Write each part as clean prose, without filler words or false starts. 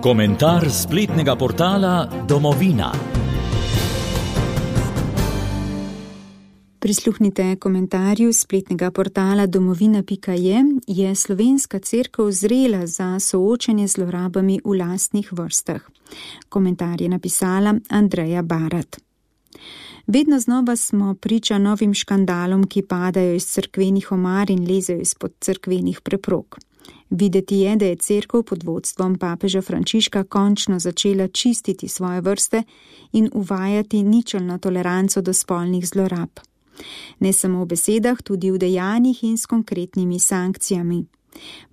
Komentar spletnega portala Domovina. Prisluhnite komentarju spletnega portala domovina.je. Je slovenska cerkev zrela za soočenje z zlorabami v lastnih vrstah? Komentar je napisala Andreja Barat. Vedno znova smo priča novim škandalom, ki padajo iz cerkvenih omar in lezejo izpod cerkvenih preprog. Videti je, da je cerkev pod vodstvom papeža Frančiška končno začela čistiti svoje vrste in uvajati ničelno toleranco do spolnih zlorab. Ne samo v besedah, tudi v dejanjih in s konkretnimi sankcijami.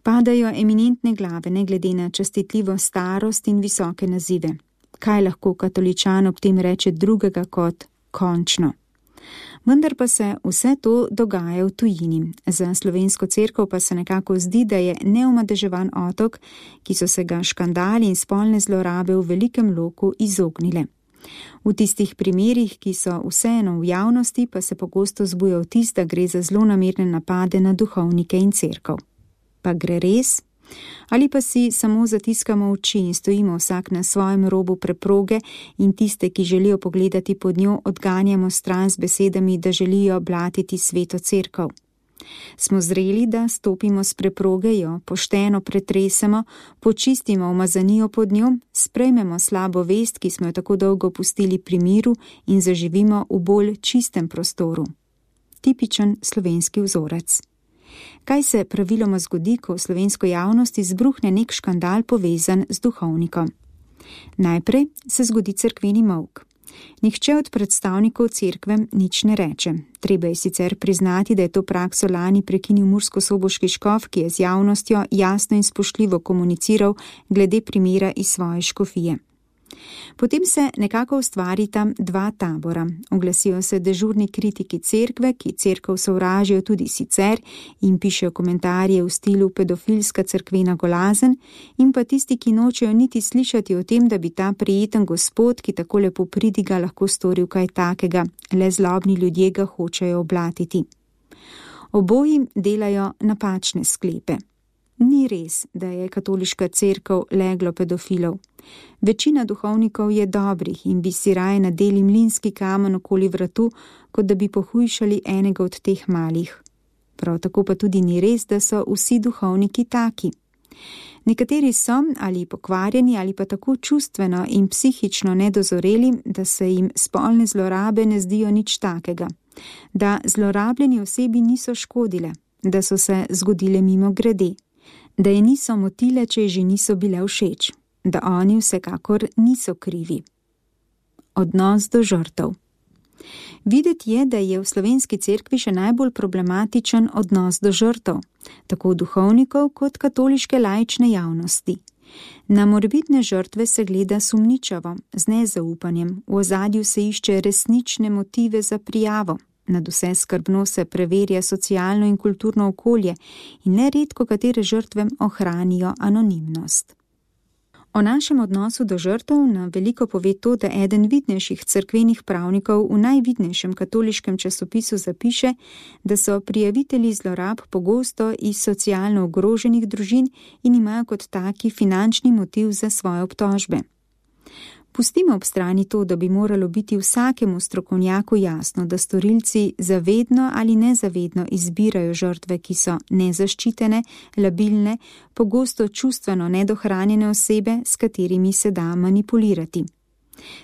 Padajo eminentne glave, ne glede na častitljivo starost in visoke nazive. Kaj lahko katoličan ob tem reče drugega kot končno? Vendar pa se vse to dogaja v tujini. Za slovensko cerkev pa se nekako zdi, da je neomadeževan otok, ki so se ga škandali in spolne zlorabe v velikem loku izognile. V tistih primerih, ki so vseeno v javnosti, pa se pogosto zbuja vtis, da gre za zlonamerne napade na duhovnike in cerkev. Pa gre res? Ali pa si samo zatiskamo oči in stojimo vsak na svojem robu preproge in tiste, ki želijo pogledati pod njo, odganjamo stran z besedami, da želijo blatiti sveto cerkev? Smo zreli, da stopimo s preproge, jo pošteno pretresemo, počistimo umazanijo pod njo, sprejmemo slabo vest, ki smo jo tako dolgo pustili pri miru, in zaživimo v bolj čistem prostoru. Tipičen slovenski vzorec. Kaj se praviloma zgodi, ko v slovensko javnost izbruhne nek škandal povezan z duhovnikom? Najprej se zgodi cerkveni molk. Nihče od predstavnikov cerkve nič ne reče. Treba je sicer priznati, da je to prakso lani prekinil murskosoboški škof, ki je z javnostjo jasno in spoštljivo komuniciral glede primera iz svoje škofije. Potem se nekako ustvarita dva tabora. Oglasijo se dežurni kritiki cerkve, ki cerkev sovražijo tudi sicer in pišejo komentarje v stilu pedofilska cerkvena golazen, in pa tisti, ki nočejo niti slišati o tem, da bi ta prijeten gospod, ki tako lepo pridiga, lahko storil kaj takega, le zlobni ljudje ga hočejo oblatiti. Oboji delajo napačne sklepe. Ni res, da je katoliška cerkev leglo pedofilov. Večina duhovnikov je dobrih in bi si raje nadeli mlinski kamen okoli vratu, kot da bi pohujšali enega od teh malih. Prav tako pa tudi ni res, da so vsi duhovniki taki. Nekateri so ali pokvarjeni ali pa tako čustveno in psihično nedozoreli, da se jim spolne zlorabe ne zdijo nič takega, da zlorabljeni osebi niso škodile, da so se zgodile mimo grede, da je niso motile, če že niso bile všeč, da oni vsekakor niso krivi. Odnos do žrtev. Videti je, da je v slovenski cerkvi še najbolj problematičen odnos do žrtev, tako duhovnikov kot katoliške laične javnosti. Na morebitne žrtve se gleda sumničavo, z nezaupanjem, v ozadju se išče resnične motive za prijavo. Nadvse skrbno se preverja socialno in kulturno okolje in neredko katere žrtve ohranijo anonimnost. O našem odnosu do žrtev na veliko pove to, da eden vidnejših cerkvenih pravnikov v najvidnejšem katoliškem časopisu zapiše, da so prijavitelji zlorab pogosto iz socialno ogroženih družin in imajo kot taki finančni motiv za svoje obtožbe. Pustimo ob strani to, da bi moralo biti vsakemu strokovnjaku jasno, da storilci zavedno ali nezavedno izbirajo žrtve, ki so nezaščitene, labilne, pogosto čustveno nedohranjene osebe, s katerimi se da manipulirati.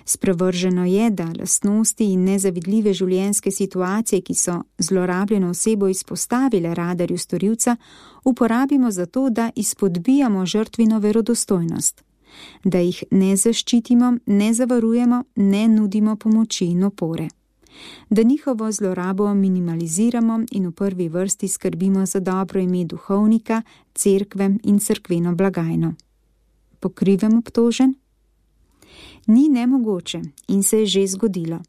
Sprevrženo je, da lastnosti in nezavidljive življenjske situacije, ki so zlorabljeno osebo izpostavile radarju storilca, uporabimo za to, da izpodbijamo žrtvino verodostojnost. Da jih ne zaščitimo, ne zavarujemo, ne nudimo pomoči in opore. Da njihovo zlorabo minimaliziramo in v prvi vrsti skrbimo za dobro ime duhovnika, cerkve in cerkveno blagajno. Po krivem obtožen? Ni nemogoče in se je že zgodilo.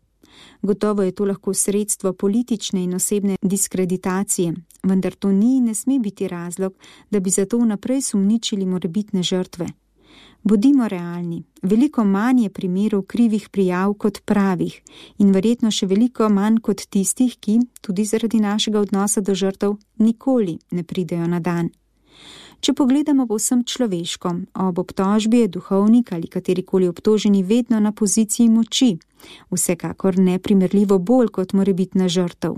Gotovo je to lahko sredstvo politične in osebne diskreditacije, vendar to ni in ne sme biti razlog, da bi zato vnaprej sumničili morebitne žrtve. Bodimo realni, veliko manj je primerov krivih prijav kot pravih in verjetno še veliko manj kot tistih, ki, tudi zaradi našega odnosa do žrtev, nikoli ne pridejo na dan. Če pogledamo povsem človeško, ob obtožbi je duhovnik ali katerikoli obtoženi vedno na poziciji moči, vsekakor neprimerljivo bolj kot morebitna žrtev.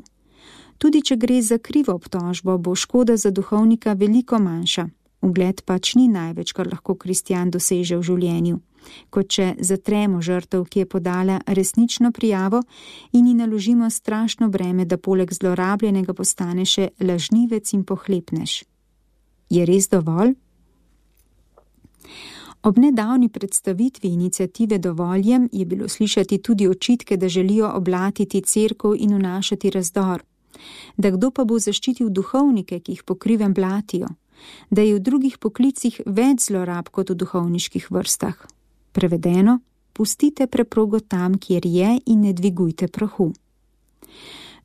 Tudi če gre za krivo obtožbo, bo škoda za duhovnika veliko manjša. Ugled pač ni največ, kar lahko kristjan doseže v življenju, kot če zatremo žrtev, ki je podala resnično prijavo in ji naložimo strašno breme, da poleg zlorabljenega postane še lažnivec in pohlepnež. Je res dovolj? Ob nedavni predstavitvi iniciative Dovoljem je bilo slišati tudi očitke, da želijo oblatiti cerkev in vnašati razdor, da kdo pa bo zaščitil duhovnike, ki jih po krivem blatijo, da je v drugih poklicih več zlorab kot v duhovniških vrstah. Prevedeno, pustite preprogo tam, kjer je, in ne dvigujte prahu.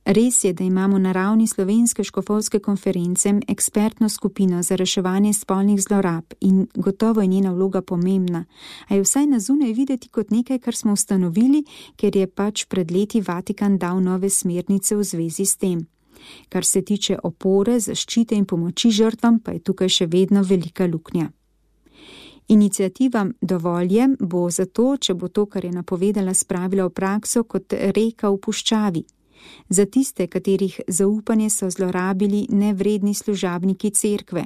Res je, da imamo na ravni Slovenske škofovske konference ekspertno skupino za reševanje spolnih zlorab in gotovo je njena vloga pomembna, a je vsaj na zunaj videti kot nekaj, kar smo ustanovili, ker je pač pred leti Vatikan dal nove smernice v zvezi s tem. Kar se tiče opore, zaščite in pomoči žrtvam, pa je tukaj še vedno velika luknja. Iniciativa Dovoljem bo zato, če bo to, kar je napovedala, spravila v prakso kot reka v puščavi. Za tiste, katerih zaupanje so zlorabili nevredni služabniki cerkve.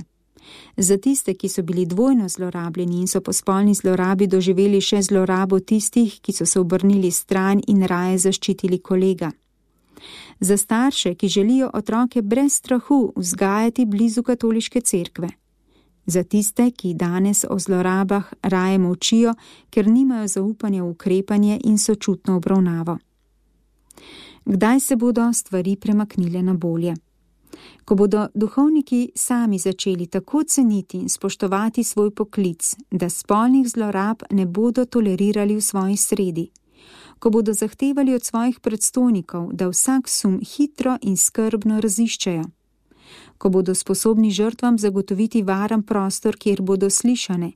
Za tiste, ki so bili dvojno zlorabljeni in so po spolni zlorabi doživeli še zlorabo tistih, ki so se obrnili stran in raje zaščitili kolega. Za starše, ki želijo otroke brez strahu vzgajati blizu katoliške cerkve. Za tiste, ki danes o zlorabah raje molčijo, ker nimajo zaupanja v ukrepanje in sočutno obravnavo. Kdaj se bodo stvari premaknile na bolje? Ko bodo duhovniki sami začeli tako ceniti in spoštovati svoj poklic, da spolnih zlorab ne bodo tolerirali v svoji sredi. Ko bodo zahtevali od svojih predstojnikov, da vsak sum hitro in skrbno raziščejo. Ko bodo sposobni žrtvam zagotoviti varen prostor, kjer bodo slišane.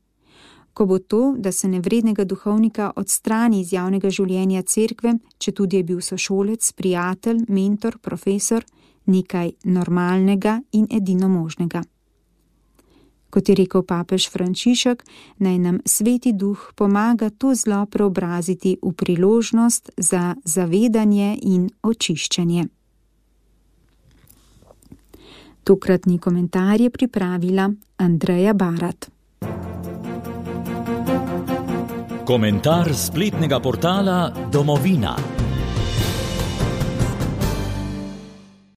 Ko bo to, da se nevrednega duhovnika odstrani iz javnega življenja cerkve, četudi je bil sošolec, prijatelj, mentor, profesor, nekaj normalnega in edino možnega. Kot je rekel papež Frančišek, naj nam Sveti Duh pomaga to zlo preobraziti v priložnost za zavedanje in očiščenje. Tokratni komentar je pripravila Andreja Barat. Komentar spletnega portala Domovina.